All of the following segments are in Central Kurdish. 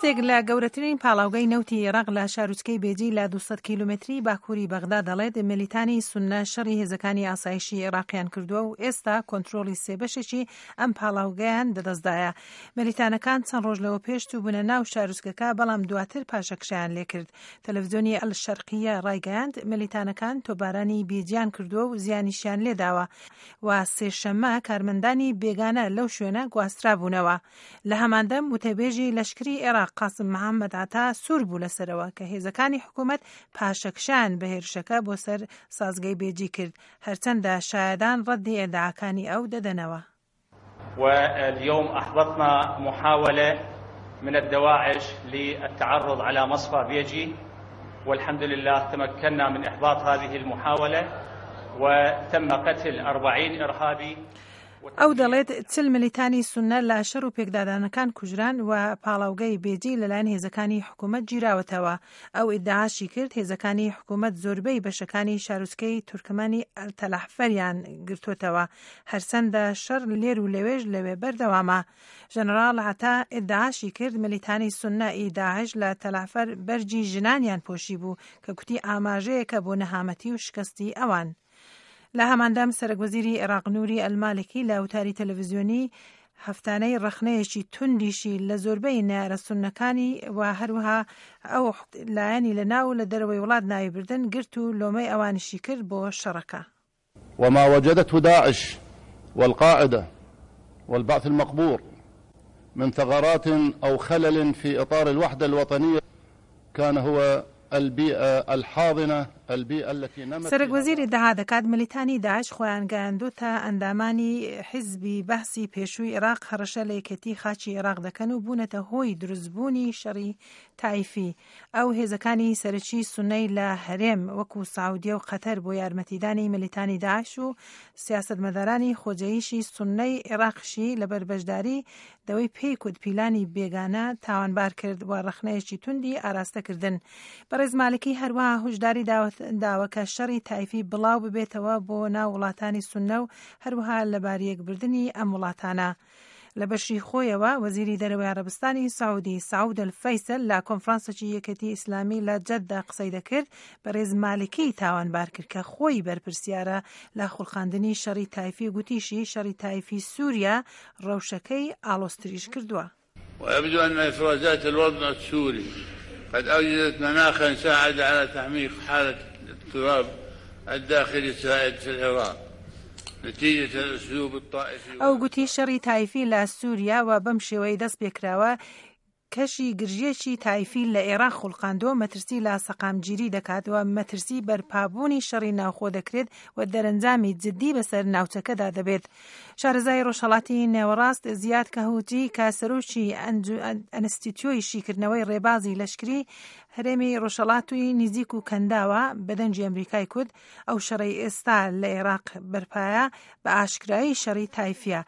بەرپرسێک لە گەورەترین پاڵاوگەی نەوتی ئێراق لە شارۆچکەی بێجی لە 200 کیلۆمەتری باکووری بەغدا دەڵێت ملیتانی سوننە شەڕی هێزەکانی ئاسایشی ئێراقیان کردووە و ئێستا کۆنترۆڵی سێ بەشێکی ئەم پاڵاوگەیان دەدەستدایە. ملیتانەکان چەند ڕۆژ لەوە پێش چووبوونە ناو شارۆچکەکە بەڵام دواتر پاشەکشەیان لێکرد. تەلەفزیۆنی ئەلشەرقیە ڕایگەیاند ملیتانەکان تۆپبارانی بێجیان کردووە و زیانیشیان لێداوە و سێشەممە کارمەندانی بێگانە لەو شوێنە گواسترابوونەوە. لە هەماندەم وتەبێژی لەشکری عێراق قاسم محەممەد عەتا سوور بوو لەسەرەوە کە هێزەکانی حکوومەت پاشەکشەیان بە هێرشەکە بۆ سەر سازگەی بێجی کرد، هەرچەندە شایەدان ڕەدی ئیدعاکانی ئەو دەدەنەوە. واليوم أحبطنا محاولة من الدواعش للتعرض على مصفى بيجي والحمد لله تمكنا من إحباط هذه المحاولة وتم قتل 40 إرهابي. ئەو دەڵێت 40 ملیتانی سوننە لە شەڕ و پێکدادانەکان کوژران و پاڵاوگەی بێجی لەلایەن هێزەکانی حکوومەت گیراوەتەوە. ئەو ئیدعاشی کرد هێزەکانی حکوومەت زۆربەی بەشەکانی شارۆچکەی تورکمانی تەلەعفەریان گرتووەتەوە، هەرچەندە شەڕ لێر و لەوێش لەوێ بەردەوامە. ژەنەراڵ عەتا ئیدعاشی کرد ملیتانی سوننە ی داعش لە تەلەعفەر بەرگی ژنانیان پۆشیبوو کە کوتی ئاماژەیەکە بۆ نەهامەتی و شکستی ئەوان. لە هەماندەم سەرەک وەزیری عێراق نوری ئەلمالکی لە وتاری تەلەڤزیۆنی هەفتانەی ڕەخنەیەکی توندیشی لە زۆربەی نەیارە سوننەکانی و هەروەها ئەو لایەنی لە ناو و لە دەرەوەی وڵات ناوی بردن گرت و لۆمەی ئەوانیشی کرد بۆ شەڕەکە. وما وجدته داعش والقاعدة والبعث المقبور من ثغرات أو خلل في إطار الوحدة الوطنية كان هو البيئة الحاضنة البيئة التي نمت سەرەک وەزیر ئیدعا دەکات ملیتانی داعش خۆیان گەیاندۆتە ئەندامانی حیزبی بەعسی پێشووی عێراق هەڕەشە لە یەکێتی خاکی عێراق دەکەن و بوونەتە هۆی دروستبوونی شەڕی تایفی. ئەو هێزەکانی سەرەکی سوننەی لە هەرێم وەکو سعودیە و قەتەر بۆ یارمەتیدانی ملیتانی داعش و سیاسەتمەدارانی خۆجێیشی سوننەی عێراقیشی لەبەر بەشداری دەوەی پێی کوت پیلانی بێگانە تاوانبار کرد و ڕەخنەیەکی توندی ئاراستە کردن. بەڕێز مالکی هەروەها هوشداری داوە کە شەڕی تایفی بڵاو ببێتەوە بۆ ناو وڵاتانی سوننە و هەروەها لەباریەکبردنی ئەم وڵاتانە. لە بەشی خۆیەوە وەزیری دەرەوەی عەرەبستانی سعودی سعود الفەیسەل لە کۆنفرانسێکی یەکێتی ئیسلامی لە جەددە قسەی دەکرد بەڕێز مالکی تاوانبار کرد کە خۆی بەرپرسیارە لە خوڵقاندنی شەڕی تایفی و گوتیشی شەڕی تایفی سوریا ڕەوشەکەی ئاڵۆزتریش کردووە. ويبدو أن إفرازات الوضع السوري قد أوجدت مناخا ساعد على تعميق حالة الاضطراب الداخلي السائد في العراق نتيجة الأسلوب الطائفي. ئەو گوتی شەڕی تایفی لە سوریا و بەم شێوەیەی دەست پێکراوە کەشی گرژییەکی تایفی لە ئێراق خوڵقاندووە و مەترسی لە سەقامگیری دەکات و مەترسی بەرپابوونی شەڕی ناوخۆ دەکرێت و دەرەنجامی جددی بەسەر ناوچەکەدا دەبێت. شارەزای ڕۆژهەڵاتی نێوەڕاست زیاد کەهوجی کە سەرۆکی ئەنستیتیۆی شیکردنەوەی ڕێبازی لەشکری هەرێمی ڕۆژهەڵاتی نزیک و کەنداوە بە دەنگی ئەمریکای کوت ئەو شەڕەی ئێستا لە ئێراق بەرپایە بە ئاشکرایی شەڕی تایفیە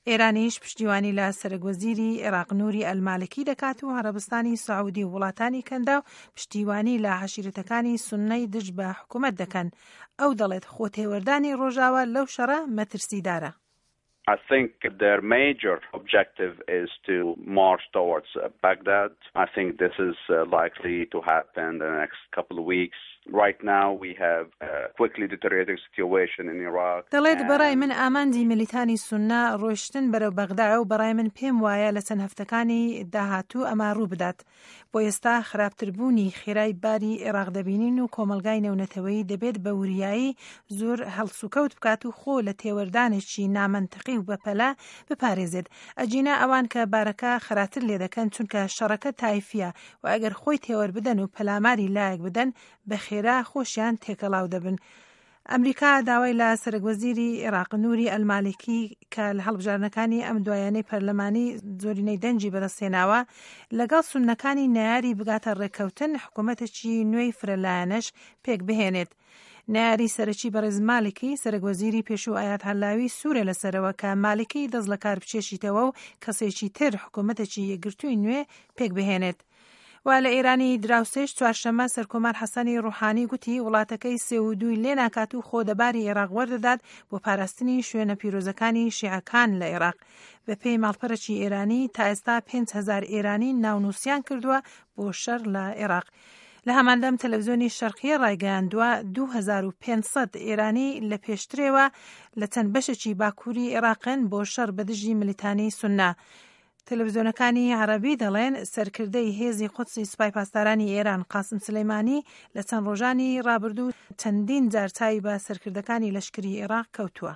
ئێرانیش پشتیوانی لە سەرەک وەزیری عێراق نوری ئەلمالکی دەکات و عەرەبستانی سعودی و وڵاتانی کەنداو پشتیوانی لە عەشیرەتەکانی سوننەی دژ بە حکومەت دەکەن. ئەو دەڵێت خۆتێوەردانی ڕۆژاوا لەو شەڕە مەترسیدارە. I think their major objective is to march towards Baghdad. I think this is likely to happen in the next couple of weeks. Right now we have a quickly deteriorating situation in Iraq. دەڵێت بەڕای من ئامانجی میلیتانی سوننە ڕۆیشتن بەرەو بەغدایە و بەڕای من پێم وایە لە چەند هەفتەکانی داهاتوو ئەمە ڕووبدات. بۆ ئێستا خراپتربوونی خێرای باری ئێراق دەبینین و کۆمەڵگای نێونەتەوەیی دەبێت بە وریایی زۆر هەڵسوکەوت بکات و خۆ لە تێوەردانێکی نامەنتقی و بەپەلە بپارێزێت ئەگینا ئەوان کە بارەکە خراتر لێدەکەن چونکە شەڕەکە تایفیە و ئەگەر خۆی تێوەربدەن و پەلاماری لایەک بدەن بە خێرا خۆشیان تێکەڵاو دەبن ئەمریکا داوای لە سەرەکوەزیری عێراق نوری ئەلمالکی کە لە هەڵبژاردنەکانی ئەم دوایانەی پەرلەمانی زۆرینەی دەنگی بەدەستهێناوە لەگەڵ سوننەکانی نەیاری بگاتە ڕێککەوتن حکوومەتێکی نوێی فرەلایەنەش پێکبهێنێت. نەیاری سەرەکی بەڕێز مالکی، سەرەکوەزیری پێشوو ئەیاد عەلاوی سوورە لەسەرەوە کە مالکی دەست لەکار بکێشیتەوە و کەسێکی تر حکوومەتێکی یەکگرتووی نوێ پێکبهێنێت. و لە ئێرانی دراوسێش چوارشەممە سەرکۆمار حەسەنی ڕوحانی گوتی وڵاتەکەی سێ و دووی لێ ناکات و خۆ دەباری عێراق وەردەدات بۆ پاراستنی شوێنە پیرۆزەکانی شیعەکان لە عێراق. بەپێی ماڵپەرەکی ئێرانی تا ئێستا 5000 ئێرانی ناونووسیان کردووە بۆ شەڕ لە عێراق. لە هەماندەم تەلەڤزیۆنی شەرقیە ڕایگەیاندووە 2500 ئێرانی لە پێشترێوە لە چەند بەشێکی باکووری عێراقن بۆ شەڕ بە دژی ملیتانی سوننە. تەلەڤزیۆنەکانی عەرەبی دەڵێن سەرکردەی هێزی قودسی سوپای پاسدارانی ئێران قاسم سولەیمانی لە چەند ڕۆژانی ڕابردوو چەندین جار چاوی بە سەرکردەکانی لەشکری عێراق کەوتووە.